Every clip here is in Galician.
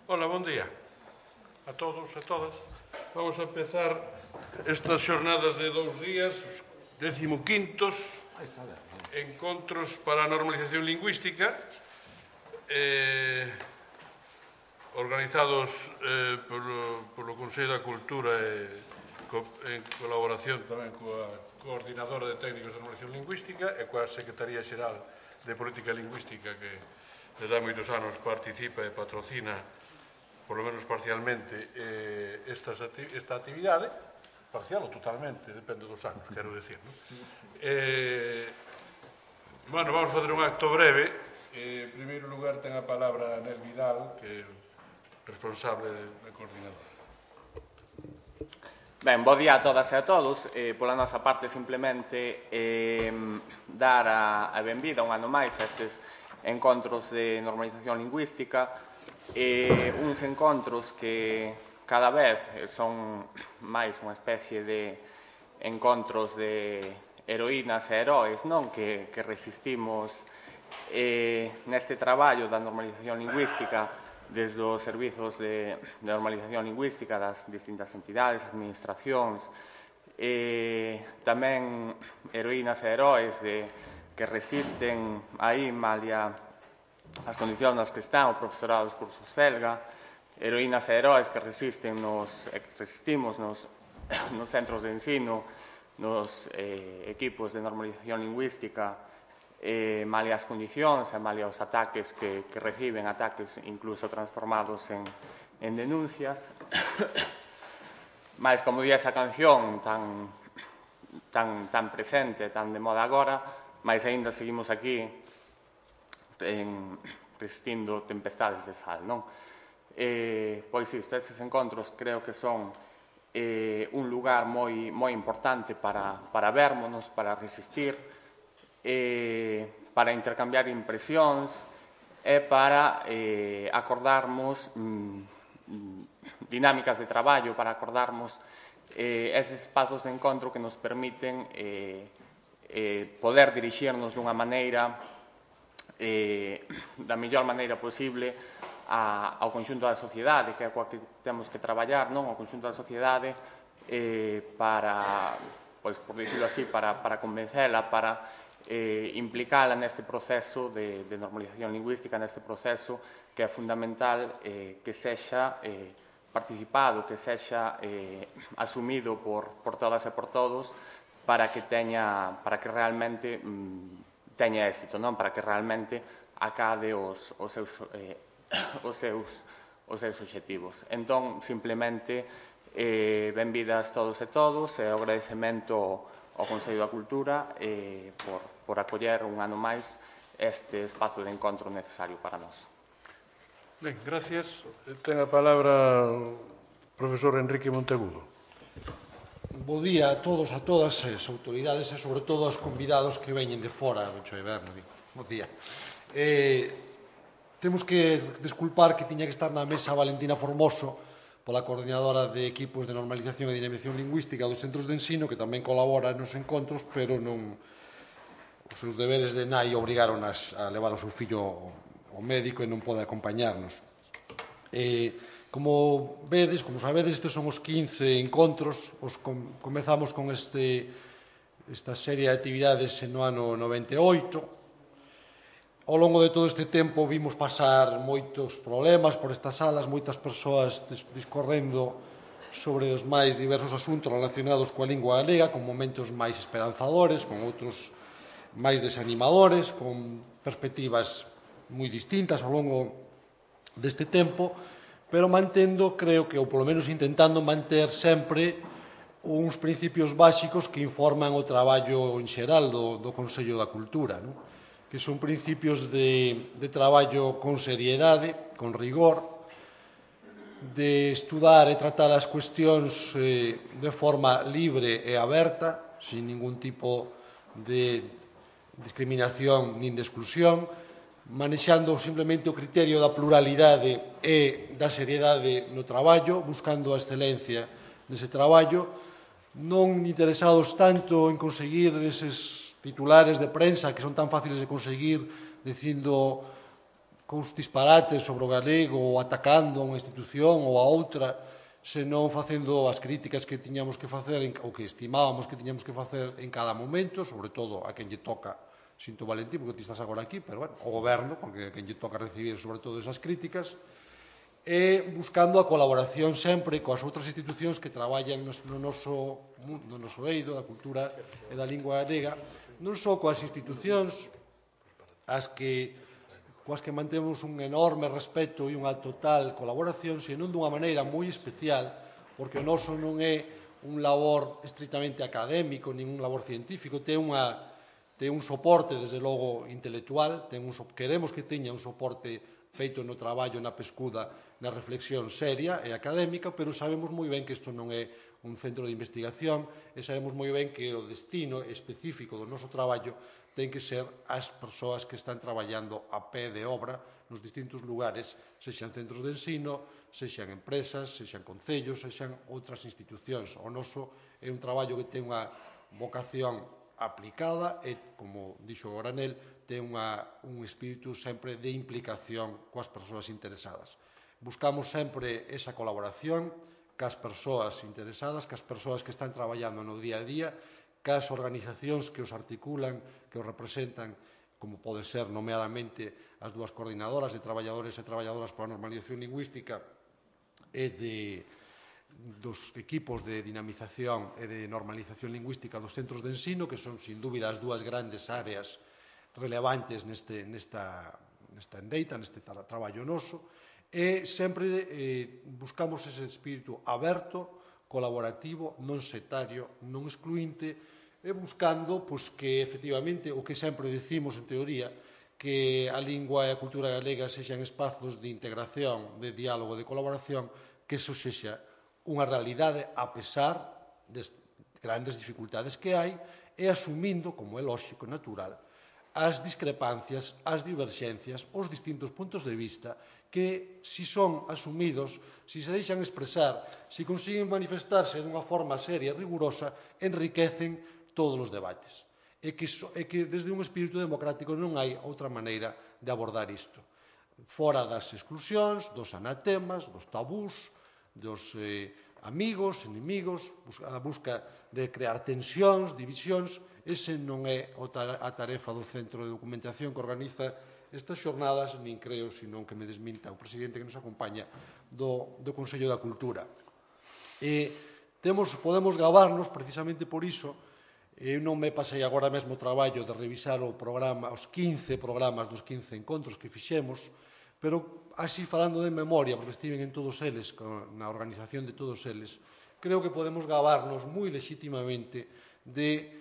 Hola, bon día a todos e todas. Vamos a empezar estas xornadas de 2 días, 15º, encontros para a normalización lingüística, organizados polo Consello da Cultura en colaboración tamén coa Coordinadora de Técnicos de Normalización Lingüística e coa Secretaría Xeral de Política Lingüística que desde há moitos anos participa e patrocina, polo menos parcialmente, esta actividade, parcial ou totalmente, depende dos anos, quero dicir. Bueno, vamos fazer un acto breve. En primeiro lugar ten a palabra Anel Vidal, que é responsable da coordinadora. Ben, bo día a todas e a todos. Pola nosa parte, simplemente dar a benvida un ano máis a estes encontros de normalización lingüística, uns encontros que cada vez son máis unha especie de encontros de heroínas e heróis, non? Que resistimos neste traballo da normalización lingüística desde os servizos de normalización lingüística das distintas entidades, administracións, tamén heroínas e heróis que resisten aí malia as condicións nas que están o profesorado dos cursos Selga, heroínas e heróis que resistimos nos centros de ensino, nos equipos de normalización lingüística, malia as condicións e malia os ataques que reciben, ataques incluso transformados en denuncias. Mais, como di esa canción tan presente, tan de moda agora, mais aínda seguimos aquí resistindo tempestades de sal, non? Pois isto, estes encontros creo que son un lugar moi importante para vermonos, para resistir, para intercambiar impresións e para acordarmos dinámicas de traballo, para acordarmos eses espazos de encontro que nos permiten poder dirixirnos dunha maneira, da mellor maneira posible ao conxunto da sociedade, que é coa que temos que traballar, non? O conxunto da sociedade para, pois, por dicirlo así, para convencela, para implicala neste proceso de normalización lingüística, neste proceso que é fundamental que sexa participado, que sexa asumido por todas e por todos para que realmente teña éxito, non? Para que realmente acade os seus obxectivos. Entón, simplemente, benvidas todos e todos e o agradecemento ao Consello da Cultura por acoller un ano máis este espazo de encontro necesario para nós. Ben, gracias. Ten a palabra o profesor Enrique Monteagudo. Bo día a todos, a todas as autoridades e, sobre todo, aos convidados que veñen de fora. Bo día. Temos que desculpar que tiña que estar na mesa Valentina Formoso, pola coordinadora de equipos de normalización e dinamización lingüística dos centros de ensino, que tamén colabora nos encontros, pero non os seus deberes de nai obrigaron a levar o seu fillo ao médico e non pode acompañarnos. Como vedes, como sabedes, estes son os 15 encontros. Comezamos con esta serie de actividades no ano 98. Ao longo de todo este tempo vimos pasar moitos problemas por estas salas, moitas persoas discorrendo sobre os máis diversos asuntos relacionados coa lingua galega, con momentos máis esperanzadores, con outros máis desanimadores, con perspectivas moi distintas ao longo deste tempo, pero mantendo, creo que, ou polo menos intentando manter sempre uns principios básicos que informan o traballo en xeral do Consello da Cultura, non? Que son principios de traballo con seriedade, con rigor, de estudar e tratar as cuestións de forma libre e aberta, sin ningún tipo de discriminación nin de exclusión, manexando simplemente o criterio da pluralidade e da seriedade no traballo, buscando a excelencia dese traballo, non interesados tanto en conseguir eses titulares de prensa que son tan fáciles de conseguir dicindo cous disparates sobre o galego ou atacando a unha institución ou a outra, senón facendo as críticas que tiñamos que facer ou que estimábamos que tiñamos que facer en cada momento, sobre todo a quen lle toca, sinto Valentín, porque ti estás agora aquí, pero bueno, o goberno, porque a quen lle toca recibir sobre todo esas críticas, e buscando a colaboración sempre coas outras institucións que traballan no noso eido da cultura e da lingua galega, non só coas institucións coas que mantemos un enorme respeto e unha total colaboración, senón dunha maneira moi especial, porque o noso non é un labor estritamente académico, nin un labor científico, ten un soporte, desde logo, intelectual, queremos que teña un soporte feito no traballo, na pescuda, na reflexión seria e académica, pero sabemos moi ben que isto non é un centro de investigación e sabemos moi ben que o destino específico do noso traballo ten que ser as persoas que están traballando a pé de obra nos distintos lugares, sexan centros de ensino, sexan empresas, sexan concellos, sexan outras institucións. O noso é un traballo que ten unha vocación aplicada e, como dixo o Granel, ten un espírito sempre de implicación coas persoas interesadas. Buscamos sempre esa colaboración cas persoas interesadas, cas persoas que están traballando no día a día, cas organizacións que os articulan, que os representan, como pode ser nomeadamente as dúas coordinadoras de traballadores e traballadoras para a normalización lingüística e dos equipos de dinamización e de normalización lingüística dos centros de ensino, que son, sin dúbida, as dúas grandes áreas relevantes nesta endeita, neste traballo noso, e sempre buscamos ese espírito aberto, colaborativo, non sectario, non excluinte, e buscando que, efectivamente, o que sempre decimos en teoría, que a lingua e a cultura galega sexan espazos de integración, de diálogo, de colaboración, que eso sexa unha realidade a pesar das grandes dificultades que hai e asumindo, como é lóxico e natural, as discrepancias, as diverxencias, os distintos puntos de vista que, se son asumidos, se se deixan expresar, se consiguen manifestarse dunha forma seria e rigurosa, enriquecen todos os debates. E que desde un espírito democrático non hai outra maneira de abordar isto. Fora das exclusións, dos anatemas, dos tabús, dos amigos, inimigos, a busca de crear tensións, divisións. Ese non é a tarefa do Centro de Documentación que organiza estas xornadas, nin creo, senón que me desminta o presidente que nos acompaña do Consello da Cultura. Podemos gabarnos, precisamente por iso. Eu non me pasei agora mesmo o traballo de revisar os 15 programas dos 15 encontros que fixemos, pero así falando de memoria, porque estiven en todos eles, na organización de todos eles, creo que podemos gabarnos moi legítimamente de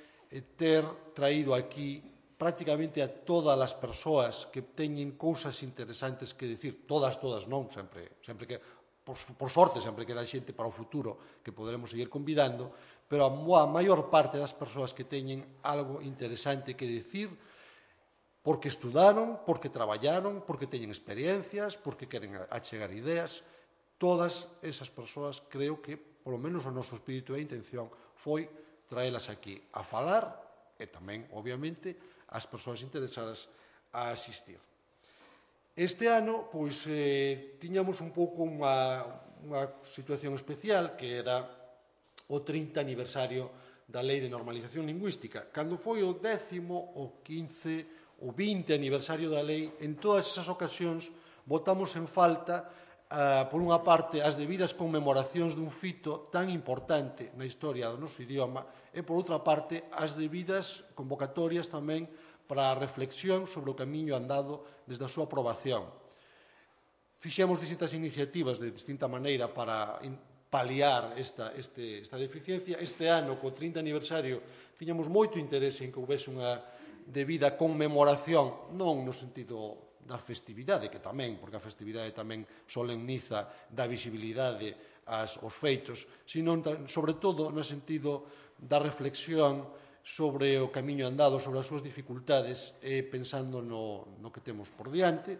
ter traído aquí prácticamente a todas as persoas que teñen cousas interesantes que dicir, todas non, sempre que, por sorte, sempre queda xente para o futuro que poderemos seguir convidando, pero a maior parte das persoas que teñen algo interesante que dicir, porque estudaron, porque traballaron, porque teñen experiencias, porque queren achegar ideas, todas esas persoas creo que, polo menos o noso espírito e intención, foi traelas aquí a falar e tamén, obviamente, as persoas interesadas a asistir. Este ano, pois, tiñamos un pouco unha situación especial que era o 30 aniversario da Lei de Normalización Lingüística. Cando foi o 10º, o 15, o 20 aniversario da Lei, en todas esas ocasións votamos en falta, por unha parte, as debidas conmemoracións dun fito tan importante na historia do noso idioma e, por outra parte, as debidas convocatorias tamén para a reflexión sobre o camiño andado desde a súa aprobación. Fixemos distintas iniciativas de distinta maneira para paliar esta deficiencia. Este ano, co 30 aniversario, tiñamos moito interese en que houvese unha debida conmemoración, non no sentido da festividade, que tamén, porque a festividade tamén solemniza, dá visibilidade aos feitos, sino, sobre todo, no sentido da reflexión sobre o camiño andado, sobre as súas dificultades, pensando no que temos por diante.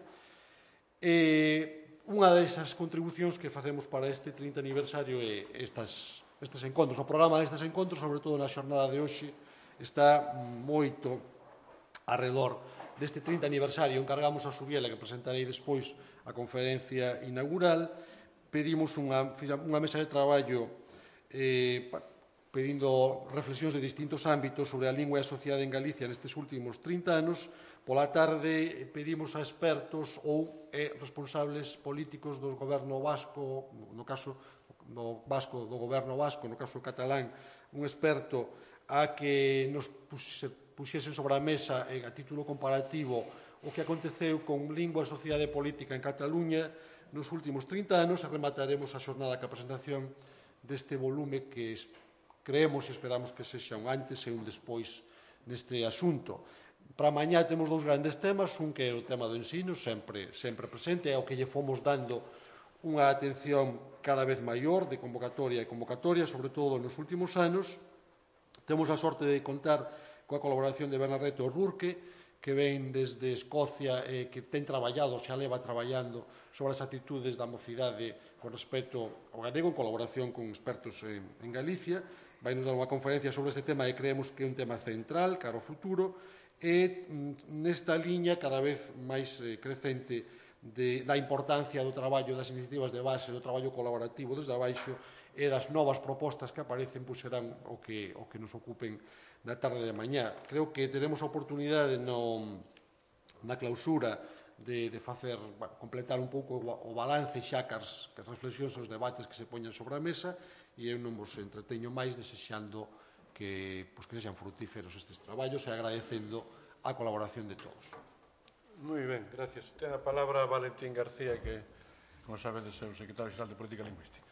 Unha desas contribucións que facemos para este 30 aniversario é estes encontros. O programa destes encontros, sobre todo na xornada de hoxe, está moito arredor deste 30 aniversario encargamos a Subiela, que presentarei despois a conferencia inaugural, pedimos unha mesa de traballo pedindo reflexións de distintos ámbitos sobre a lingua e a sociedade en Galicia nestes últimos 30 anos. Pola tarde pedimos a expertos ou responsables políticos do goberno vasco, no caso do goberno vasco, no caso catalán, un experto a que nos puxesen sobre a mesa a título comparativo o que aconteceu con lingua e sociedade política en Cataluña nos últimos 30 anos e remataremos a xornada ca presentación deste volume que creemos e esperamos que sexa un antes e un despois neste asunto. Para mañá temos dous grandes temas, un que é o tema do ensino, sempre presente, é o que lle fomos dando unha atención cada vez maior de convocatoria, sobre todo nos últimos anos. Temos a sorte de contar coa colaboración de Bernadette O'Rourke, que ven desde Escocia e que ten traballado, xa leva traballando sobre as actitudes da mocidade con respecto ao galego, en colaboración con expertos en Galicia. Vai nos dar unha conferencia sobre este tema e creemos que é un tema central cara ao futuro e nesta liña cada vez máis crecente da importancia do traballo das iniciativas de base, do traballo colaborativo desde abaixo e das novas propostas que aparecen serán o que nos ocupen na tarde de mañá. Creo que teremos a oportunidade na clausura de completar un pouco o balance xa cas reflexións e os debates que se poñan sobre a mesa e eu non vos entreteño máis desexando que sexan frutíferos estes traballos e agradecendo a colaboración de todos. Moi ben, gracias. Ten a palabra Valentín García, que, como sabedes, é o secretario xeral de Política Lingüística.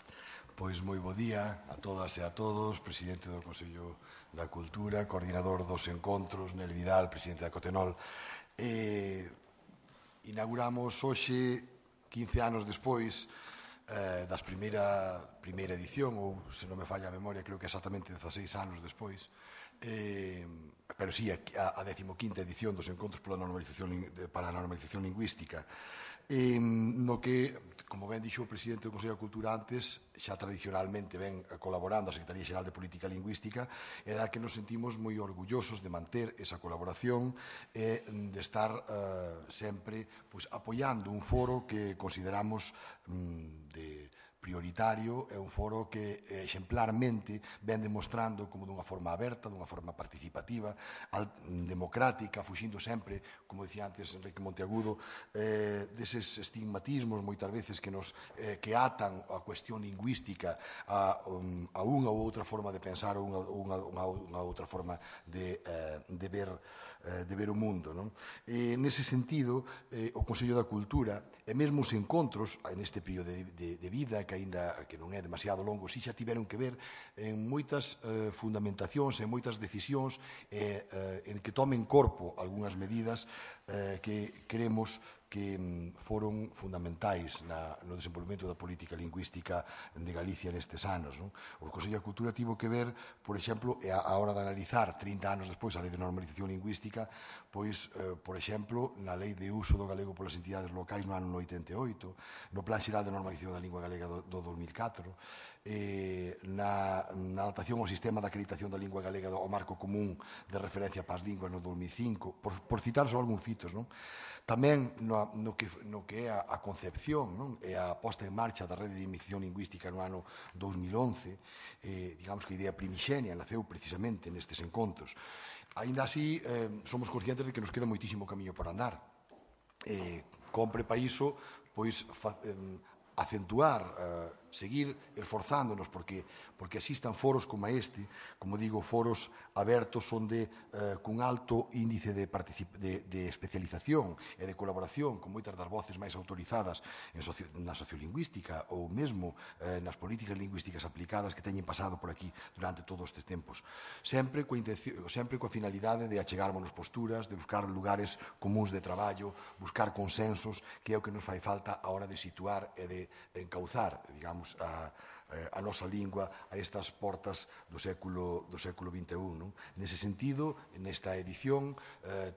Pois moi bo día a todas e a todos, presidente do Consello da Cultura, coordinador dos encontros, Nel Vidal, presidente da Cotenol. Inauguramos hoxe, 15 anos despois das primeira edición, ou se non me falla a memoria, creo que exactamente 16 anos despois, pero sí, a 15ª edición dos encontros para a normalización lingüística, no que, como ben dixo o presidente do Consello da Cultura antes, xa tradicionalmente ven colaborando a Secretaría Xeral de Política Lingüística e da que nos sentimos moi orgullosos de manter esa colaboración e de estar sempre apoiando un foro que consideramos de prioritario, é un foro que exemplarmente ven demostrando como dunha forma aberta, dunha forma participativa, democrática, fuxindo sempre, como dicía antes Enrique Monteagudo, deses estigmatismos moitas veces que atan a cuestión lingüística a unha ou outra forma de pensar ou unha outra forma de ver o mundo. Nese sentido, o Consello da Cultura e mesmo os encontros neste período de vida que non é demasiado longo, si xa tiveron que ver en moitas fundamentacións, en moitas decisións, en que tomen corpo algunhas medidas que queremos que foron fundamentais no desenvolvemento da política lingüística de Galicia nestes anos. O Consello da Cultura tivo que ver, por exemplo, a hora de analizar 30 anos despois a Lei de Normalización Lingüística, pois, por exemplo, na Lei de Uso do Galego polas entidades locais no ano 88, no Plan Xeral de Normalización da Lingua Galega do 2004, na adaptación ao sistema de acreditación da lingua galega ao marco común de referencia para as linguas no 2005, por citar só algúns fitos. Tamén no que é a concepción e a posta en marcha da rede de iniciación lingüística no ano 2011, digamos que a idea primixenia naceu precisamente nestes encontros. Aínda así, somos conscientes de que nos queda moitísimo camiño por andar. Compre para iso, pois, acentuar, seguir esforzándonos porque existan foros como este, como digo, foros abertos onde cun alto índice de especialización e de colaboración con moitas das voces máis autorizadas na sociolingüística ou mesmo nas políticas lingüísticas aplicadas que teñen pasado por aquí durante todos estes tempos. Sempre coa finalidade de achegarmonos posturas, de buscar lugares comuns de traballo, buscar consensos, que é o que nos fai falta a hora de situar e de encauzar, digamos, a nosa lingua a estas portas do século XXI. Nese sentido, nesta edición,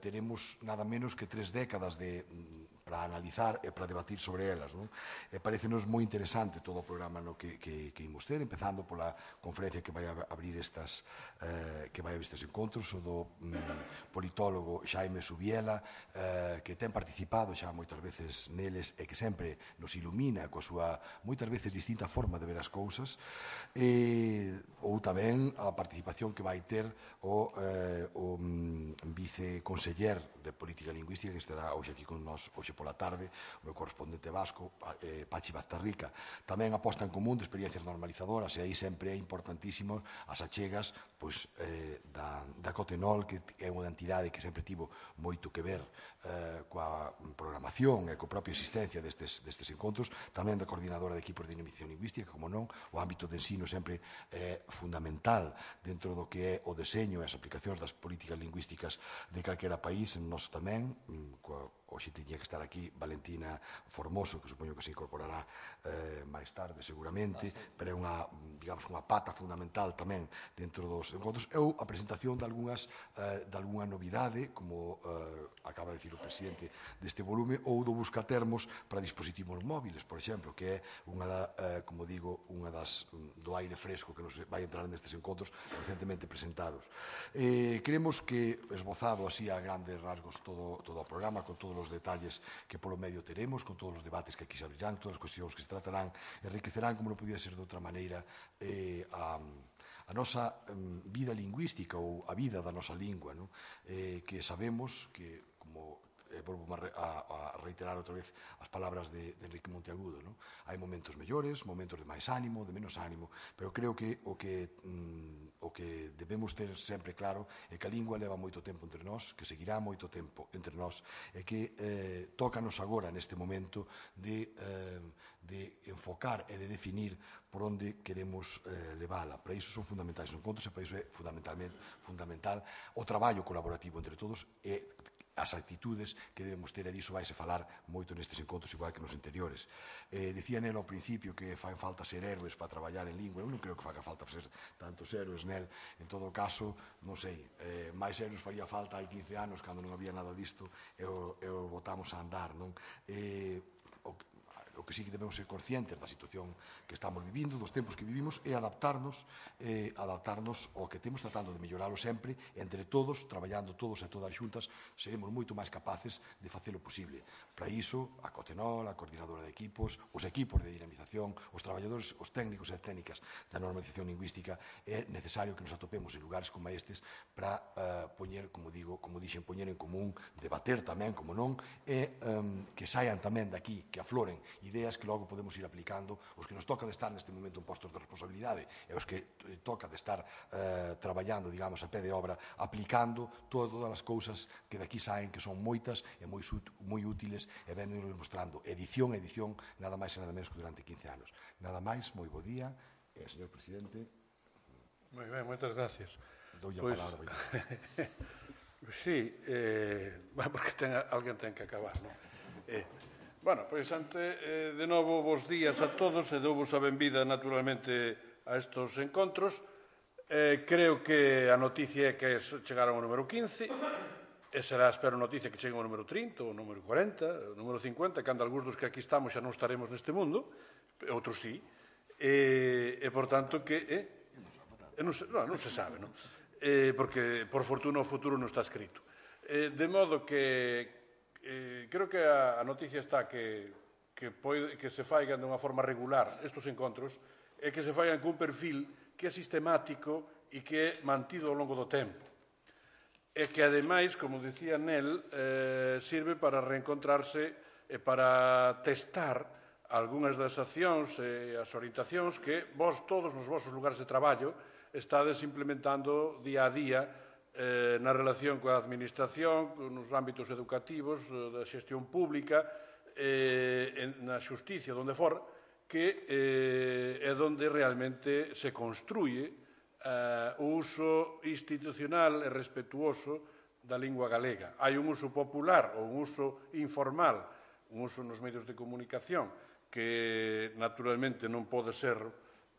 teremos nada menos que 3 décadas de para analizar e para debatir sobre elas. E parecenos moi interesante todo o programa que imos ter, empezando pola conferencia que vai abrir estes encontros, o do politólogo Xaime Subiela, que ten participado xa moitas veces neles e que sempre nos ilumina coa súa moitas veces distinta forma de ver as cousas, ou tamén a participación que vai ter o viceconseller de Política Lingüística, que estará hoxe aquí con nós hoxe pola tarde, o meu correspondente vasco, Pachi Baztarrica. Tamén a posta en común de experiencias normalizadoras, e aí sempre é importantísimo as achegas da Cotenol, que é unha entidade que sempre tivo moito que ver coa programación e coa propia existencia destes encontros, tamén da coordinadora de equipos de dinamización lingüística, como non, o ámbito de ensino sempre é fundamental dentro do que é o deseño e as aplicacións das políticas lingüísticas de calquera país, en nós tamén, hoxe tiña que estar aquí Valentina Formoso, que supoño que se incorporará máis tarde seguramente, pero é unha pata fundamental tamén dentro dos encontros, ou a presentación de algunha novidade, como acaba de dicir o presidente deste volume, ou do buscatermos para dispositivos móviles, por exemplo, que é como digo, unha das do aire fresco que nos vai entrar nestes encontros recentemente presentados. Creemos que, esbozado así a grandes rasgos todo o programa, con todos os detalles que polo medio teremos, con todos os debates que aquí se abrirán, todas as cuestións que se tratarán, enriquecerán, como non podía ser de outra maneira, a nosa vida lingüística ou a vida da nosa lingua, que sabemos que, como volvo a reiterar outra vez as palabras de Enrique Monteagudo, hai momentos mellores, momentos de máis ánimo, de menos ánimo, pero creo que o que debemos ter sempre claro é que a lingua leva moito tempo entre nós, que seguirá moito tempo entre nós, e que tócanos agora neste momento de enfocar e de definir por onde queremos levála. Para iso son fundamentais os encontros e para iso é fundamental o traballo colaborativo entre todos e as actitudes que debemos ter, e diso vaise falar moito nestes encontros, igual que nos anteriores. Dicía nel ao principio que fan falta ser héroes para traballar en lingua. Eu non creo que faga falta ser tantos héroes nel. En todo caso, non sei, máis héroes faría falta hai 15 anos, cando non había nada disto, e o botamos a andar, non? O que sí que debemos ser conscientes da situación que estamos vivindo, dos tempos que vivimos, é adaptarnos ao que temos, tratando de melloralo sempre, entre todos, traballando todos e todas xuntas, seremos moito máis capaces de facelo posible. Para iso, a Cotenol, a coordinadora de equipos, os equipos de dinamización, os traballadores, os técnicos e técnicas da normalización lingüística, é necesario que nos atopemos en lugares como estes para poñer, como dixen, poñer en común, debater tamén, como non, e que saian tamén daqui, que afloren ideas que logo podemos ir aplicando, os que nos toca de estar neste momento en postos de responsabilidade e os que toca de estar traballando, digamos, a pé de obra, aplicando todas as cousas que daqui saen, que son moitas e moi útiles, e véndonos mostrando edición a edición, nada máis e nada menos que durante 15 anos. Nada máis, moi bo día, señor presidente. Moi ben, moitas gracias. Doulle a palabra. Sí, porque alguén ten que acabar, non? Bueno, pois de novo vos días a todos e douvos a benvida naturalmente a estes encontros. Creo que a noticia é que chegaron ao número 15 e será, espero, noticia que cheguen ao número 30, ou número 40, ou número 50, cando algúns dos que aquí estamos xa non estaremos neste mundo, outros sí, e por tanto que non se sabe, non? Porque por fortuna o futuro non está escrito. De modo que creo que a noticia está que se faigan de unha forma regular estes encontros e que se faigan cun perfil que é sistemático e que é mantido ao longo do tempo. E que, ademais, como dicía Nel, sirve para reencontrarse e para testar algunhas das accións e as orientacións que vos todos nos vosos lugares de traballo estades implementando día a día na relación coa administración, nos ámbitos educativos, da xestión pública, na xusticia, onde for, que é onde realmente se construye o uso institucional e respetuoso da lingua galega. Hai un uso popular ou un uso informal, un uso nos medios de comunicación que naturalmente non pode ser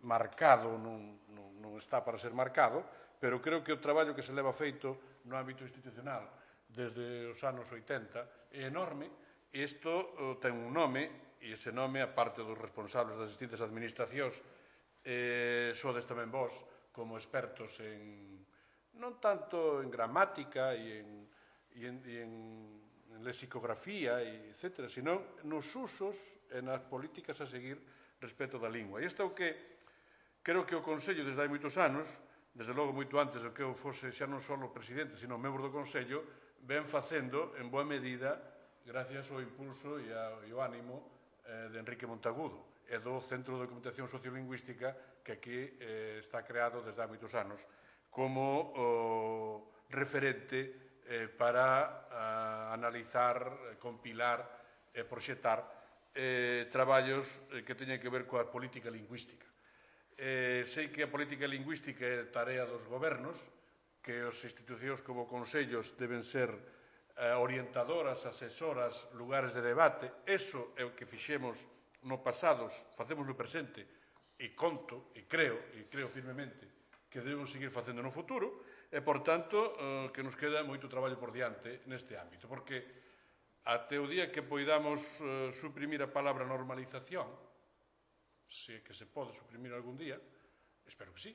marcado, non está para ser marcado, pero creo que o traballo que se leva feito no ámbito institucional desde os anos 80 é enorme Isto ten un nome, e ese nome, a parte dos responsables das distintas administracións, sodes tamén vós, como expertos non tanto en gramática e en lexicografía, etc., sino nos usos e nas políticas a seguir respecto da lingua. E isto é o que creo que o Consello, desde hai moitos anos, desde logo moito antes do que eu fose xa non só o presidente, sino membro do Consello, ven facendo en boa medida gracias ao impulso e ao ánimo de Enrique Montagudo e do Centro de Documentación Sociolingüística que aquí está creado desde hai moitos anos como referente para analizar, compilar e proxectar traballos que teñen que ver coa política lingüística. Sei que a política lingüística é tarea dos gobernos, que as institucións como consellos deben ser orientadoras, asesoras, lugares de debate. Eso é o que fixemos no pasado, facemos no presente, e conto, e creo firmemente que debemos seguir facendo no futuro, e, por tanto, que nos queda moito traballo por diante neste ámbito, porque até o día que poidamos suprimir a palabra normalización, se que se pode suprimir algún día, espero que sí,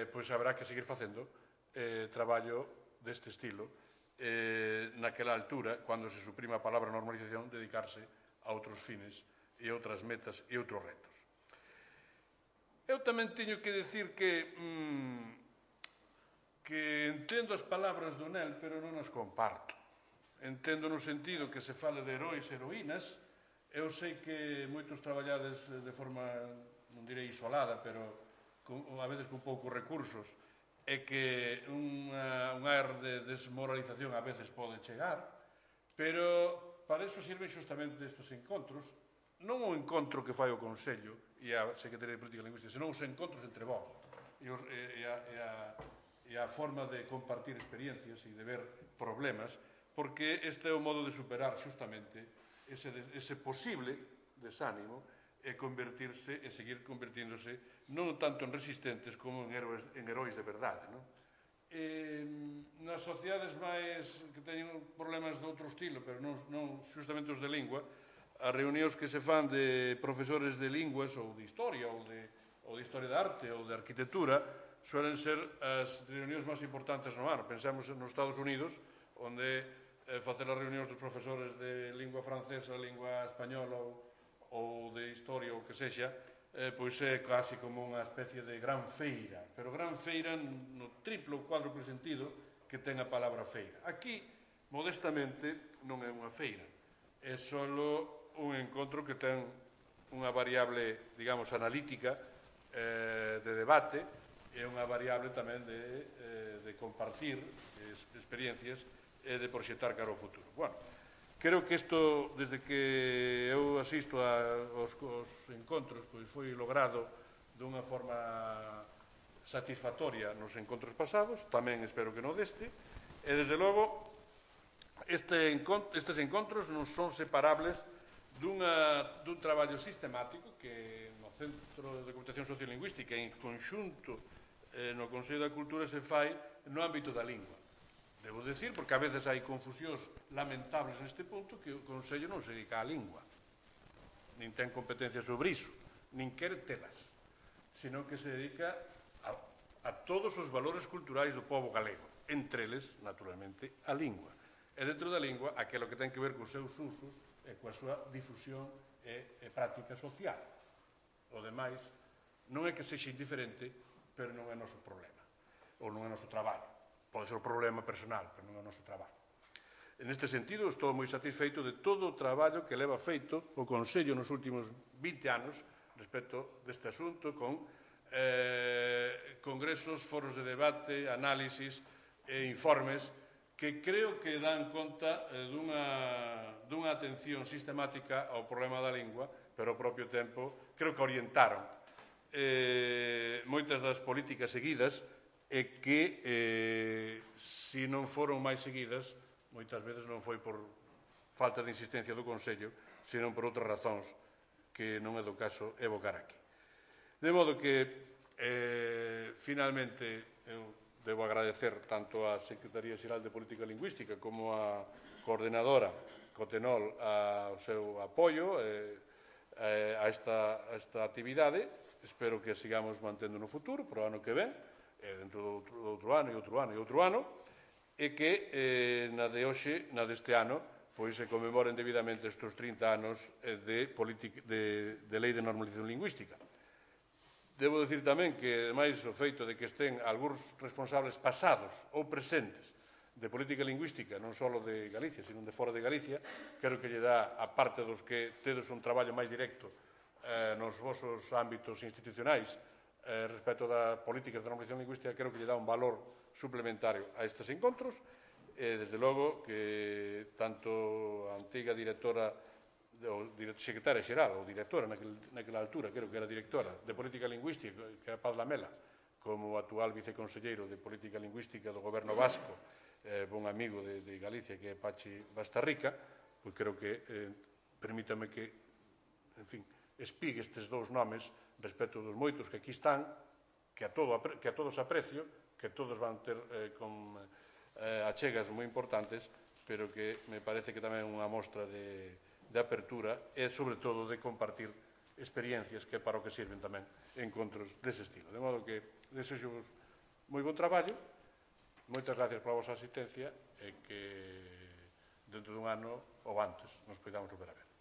pois habrá que seguir facendo traballo deste estilo, naquela altura, cando se suprima a palabra normalización, dedicarse a outros fines e outras metas e outros retos. Eu tamén teño que decir que entendo as palabras do Nel, pero non as comparto. Entendo no sentido que se fale de heróis e heroínas. Eu sei que moitos traballades de forma, non direi isolada, pero a veces con poucos recursos, e que un ar de desmoralización a veces pode chegar, pero para iso sirven xustamente estes encontros, non o encontro que fai o Consello e a Secretaría de Política Lingüística, senón os encontros entre vós e a forma de compartir experiencias e de ver problemas, porque este é o modo de superar xustamente ese posible desánimo e convertirse e seguir convertíndose non tanto en resistentes como en heróis de verdade. Nas sociedades máis que teñen problemas de outro estilo, pero non xustamente os de lingua, as reunións que se fan de profesores de linguas ou de historia ou de historia de arte ou de arquitectura suelen ser as reunións máis importantes no ano. Pensamos nos Estados Unidos, onde facer as reunións dos profesores de lingua francesa, lingua española ou de historia ou que sexa, pois é casi como unha especie de gran feira, pero gran feira no triplo ou cuádruplo sentido que ten a palabra feira. Aquí, modestamente, non é unha feira, é só un encontro que ten unha variable, digamos, analítica de debate e unha variable tamén de compartir experiencias e de proxectar cara ao futuro. Bueno, creo que isto, desde que eu asisto aos encontros, pois foi logrado dunha forma satisfactoria nos encontros pasados, tamén espero que non deste, e desde logo estes encontros non son separables dun traballo sistemático que no Centro de Documentación Sociolingüística en conxunto no Consello da Cultura se fai no ámbito da lingua. Debo dicir, porque a veces hai confusións lamentables neste punto, que o Consello non se dedica á lingua, nin ten competencia sobre iso, nin quere telas, sino que se dedica a todos os valores culturais do povo galego, entre eles, naturalmente, a lingua. E dentro da lingua, aquilo que ten que ver cos seus usos e coa súa difusión e práctica social. O demais non é que sexa indiferente, pero non é noso problema, ou non é noso traballo. Pode ser o problema personal, pero non é o noso traballo. En este sentido, estou moi satisfeito de todo o traballo que leva feito o Consello nos últimos 20 anos respecto deste asunto, con congresos, foros de debate, análisis e informes que creo que dan conta dunha atención sistemática ao problema da lingua, pero ao propio tempo creo que orientaron moitas das políticas seguidas e que, se non foron máis seguidas, moitas veces non foi por falta de insistencia do Consello, senón por outras razóns que non é do caso evocar aquí. De modo que, finalmente, eu debo agradecer tanto á Secretaría Xeral de Política Lingüística como á coordenadora Cotenol ao seu apoio a esta actividade. Espero que sigamos mantendo no futuro, para o ano que ven, dentro do outro ano e outro ano e outro ano, e que na de hoxe, na deste ano, pois se conmemoren debidamente estes 30 anos de lei de normalización lingüística. Debo dicir tamén que, ademais, o feito de que estén algúns responsables pasados ou presentes de política lingüística, non só de Galicia, sino de fora de Galicia, creo que lle dá, a parte dos que tedes un traballo máis directo nos vosos ámbitos institucionais respecto das políticas de normalización lingüística, creo que lle dá un valor suplementario a estes encontros. Desde logo que tanto a antiga directora, secretaria xeral ou directora naquela altura, creo que era directora de Política Lingüística, que era Paz Lamela, como o actual viceconselleiro de Política Lingüística do Goberno Vasco, bon amigo de Galicia, que é Pachi Bastarrica, pois creo que permítame que, en fin, espigue estes dous nomes respecto dos moitos que aquí están, que a todos aprecio, que todos van ter con achegas moi importantes, pero que me parece que tamén é unha mostra de apertura e, sobre todo, de compartir experiencias, que é para o que sirven tamén encontros dese estilo. De modo que desexo moi bon traballo, moitas gracias pola vosa asistencia e que dentro dun ano ou antes nos podamos volver a ver.